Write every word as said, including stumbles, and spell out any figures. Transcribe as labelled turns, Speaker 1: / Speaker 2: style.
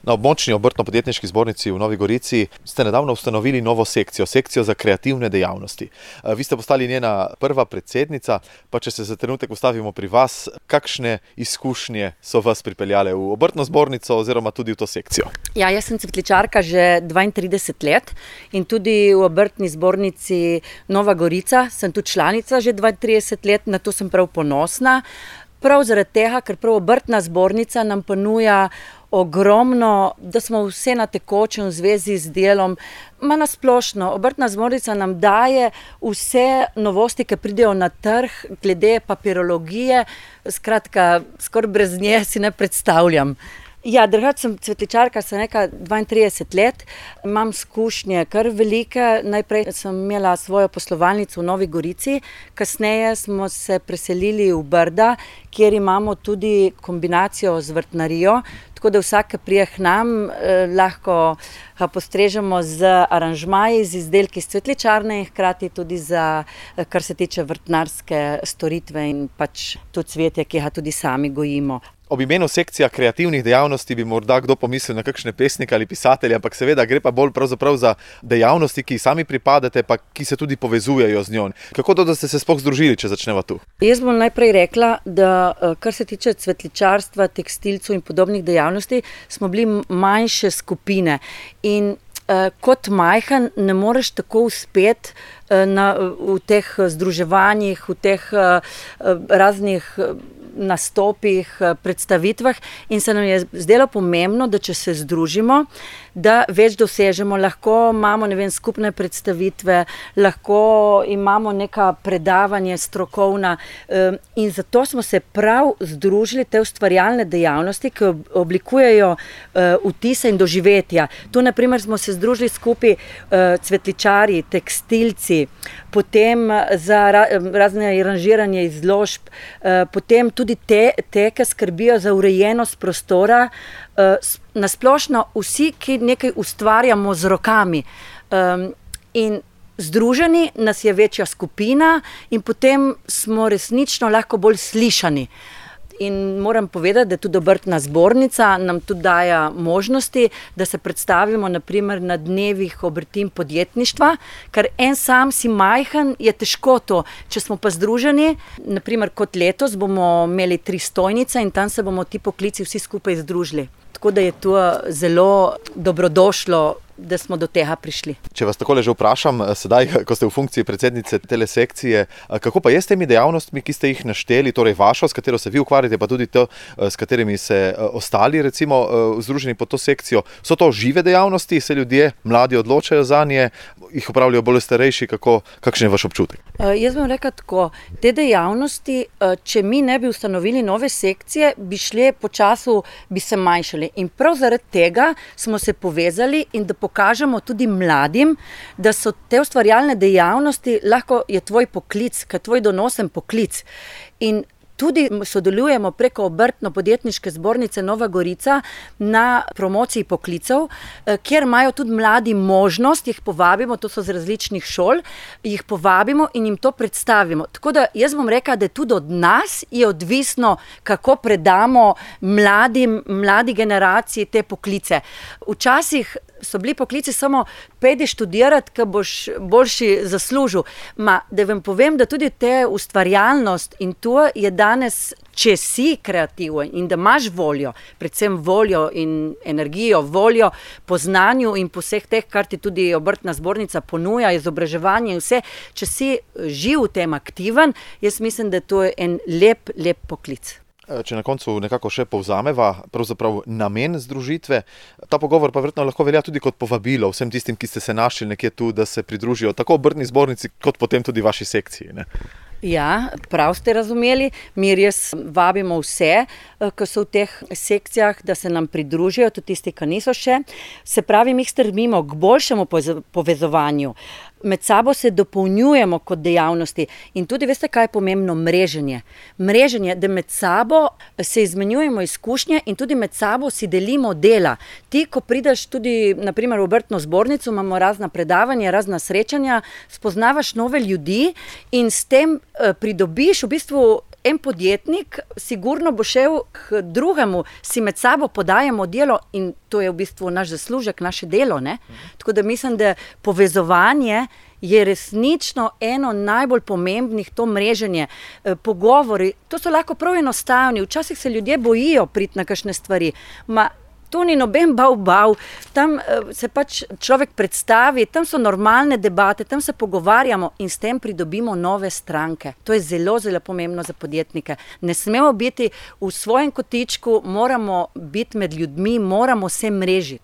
Speaker 1: Na območni obrtno-podjetniški zbornici v Novi Gorici ste nedavno ustanovili novo sekcijo, sekcijo za kreativne dejavnosti. Vi ste postali njena prva predsednica, pa če se za trenutek ustavimo pri vas, kakšne izkušnje so vas pripeljale v obrtno zbornico oziroma tudi v to sekcijo?
Speaker 2: Ja, jaz sem cvetličarka že dvaintrideset let in tudi v obrtni zbornici Nova Gorica sem tudi članica že dvaintrideset let, na to sem prav ponosna. Prav zaradi tega, ker prav obrtna zbornica nam ponuja ogromno, da smo vse na tekočem v zvezi z delom. Ma na splošno, obrtna zbornica nam daje vse novosti, ki pridejo na trg, glede papirologije, skratka, skoraj brez nje si ne predstavljam. Ja, drugače sem cvetličarka, sem neka dvaintrideset let, imam izkušnje kar velike. Najprej sem imela svojo poslovalnico v Novi Gorici, kasneje smo se preselili v Brda, kjer imamo tudi kombinacijo z vrtnarijo, tako da vsak, ki prije k nam, eh, lahko ga postrežemo z aranžmaji, z izdelki iz cvetličarne in hkrati tudi za, kar se tiče vrtnarske storitve in pač to cvetje, ki ga tudi sami gojimo.
Speaker 1: Ob imenu sekcija kreativnih dejavnosti bi morda kdo pomislil na kakšne pesnike ali pisatelje, ampak seveda gre pa bolj pravzaprav za dejavnosti, ki sami pripadate, pa ki se tudi povezujejo z njo. Kako to, da ste se sploh združili, če začneva tu?
Speaker 2: Jaz bom najprej rekla, da kar se tiče cvetličarstva, tekstilcev in podobnih dejavnosti, smo bili manjše skupine in eh, kot majhen ne moreš tako uspeti na, v teh združevanjih, v teh eh, raznih nastopih, predstavitvah in se nam je zdelo pomembno, da če se združimo, da več dosežemo, lahko imamo, ne vem, skupne predstavitve, lahko imamo neka predavanje strokovna in zato smo se prav združili te ustvarjalne dejavnosti, ki oblikujejo vtise in doživetja. Tu na primer smo se združili skupaj cvetličarji, tekstilci, potem za razne aranžiranje izložb, potem tudi te, te, ki skrbijo za urejenost prostora, nasplošno vsi, ki nekaj ustvarjamo z rokami. In združeni nas je večja skupina in potem smo resnično lahko bolj slišani. In moram povedati, da tudi obrtna zbornica nam tudi daje možnosti, da se predstavimo na primer na dnevih obrti in podjetništva, ker en sam si majhen, je težko to. Če smo pa združeni, na primer kot letos bomo imeli tri stojnice in tam se bomo ti poklici vsi skupaj združili. Tako da je to zelo dobrodošlo, da smo do tega prišli.
Speaker 1: Če vas takole že vprašam, sedaj, ko ste v funkciji predsednice tele sekcije, kako pa je s temi dejavnostmi, ki ste jih našteli, torej vašo, s katero se vi ukvarjate, pa tudi to, s katerimi se ostali, recimo, združeni pod to sekcijo? So to žive dejavnosti, se ljudje, mladi odločajo zanje, jih opravljajo bolj starejši, kako, kakšen je vaš občutek?
Speaker 2: Jaz bom rekla tako, te dejavnosti, če mi ne bi ustanovili nove sekcije, bi šle po času, bi se manjšali. In prav zaradi tega smo se povezali in da pokažemo tudi mladim, da so te ustvarjalne dejavnosti, lahko je tvoj poklic, ker tvoj donosen poklic. In tudi sodelujemo preko obrtno-podjetniške zbornice Nova Gorica na promociji poklicev, kjer imajo tudi mladi možnost, jih povabimo, to so z različnih šol, jih povabimo in jim to predstavimo. Tako da jaz bom rekla, da tudi od nas je odvisno, kako predamo mladim, mladi generaciji te poklice. Včasih so bili poklici samo pejdi študirati, ker boš boljši zaslužil. Ma, da vam povem, da tudi te ustvarjalnost in to je danes, če si kreativen in da imaš voljo, predvsem voljo in energijo, voljo po znanju in po vseh teh, kar ti tudi obrtna zbornica ponuja, izobraževanje in vse, če si živ v tem aktiven, jaz mislim, da to je en lep, lep poklic.
Speaker 1: Če na koncu nekako še povzameva, pravzaprav namen združitve, ta pogovor pa verjetno lahko velja tudi kot povabilo vsem tistim, ki ste se našli nekje tu, da se pridružijo tako obrtni zbornici, kot potem tudi vaši sekciji, ne?
Speaker 2: Ja, prav ste razumeli. Mi res vabimo vse, ki so v teh sekcijah, da se nam pridružijo, tudi tisti, ki niso še. Se pravi, mi strmimo k boljšemu povezovanju. Med sabo se dopolnjujemo kot dejavnosti in tudi veste, kaj je pomembno? Mreženje. Mreženje, da med sabo se izmenjujemo izkušnje in tudi med sabo si delimo dela. Ti, ko prideš tudi na primer v obrtno zbornico, imamo razna predavanja, razna srečanja, spoznavaš nove ljudi in s tem pridobiš v bistvu en podjetnik sigurno bo šel k drugemu, si med sabo podajamo delo in to je v bistvu naš zaslužek, naše delo, ne? Tako da mislim, da povezovanje je resnično eno najbolj pomembnih, to mreženje, pogovori, to so lahko prav enostavni, včasih se ljudje bojijo priti na kakšne stvari, ma to ni noben bav bav, tam se pač človek predstavi, tam so normalne debate, tam se pogovarjamo in s tem pridobimo nove stranke. To je zelo, zelo pomembno za podjetnike. Ne smemo biti v svojem kotičku, moramo biti med ljudmi, moramo se mrežiti.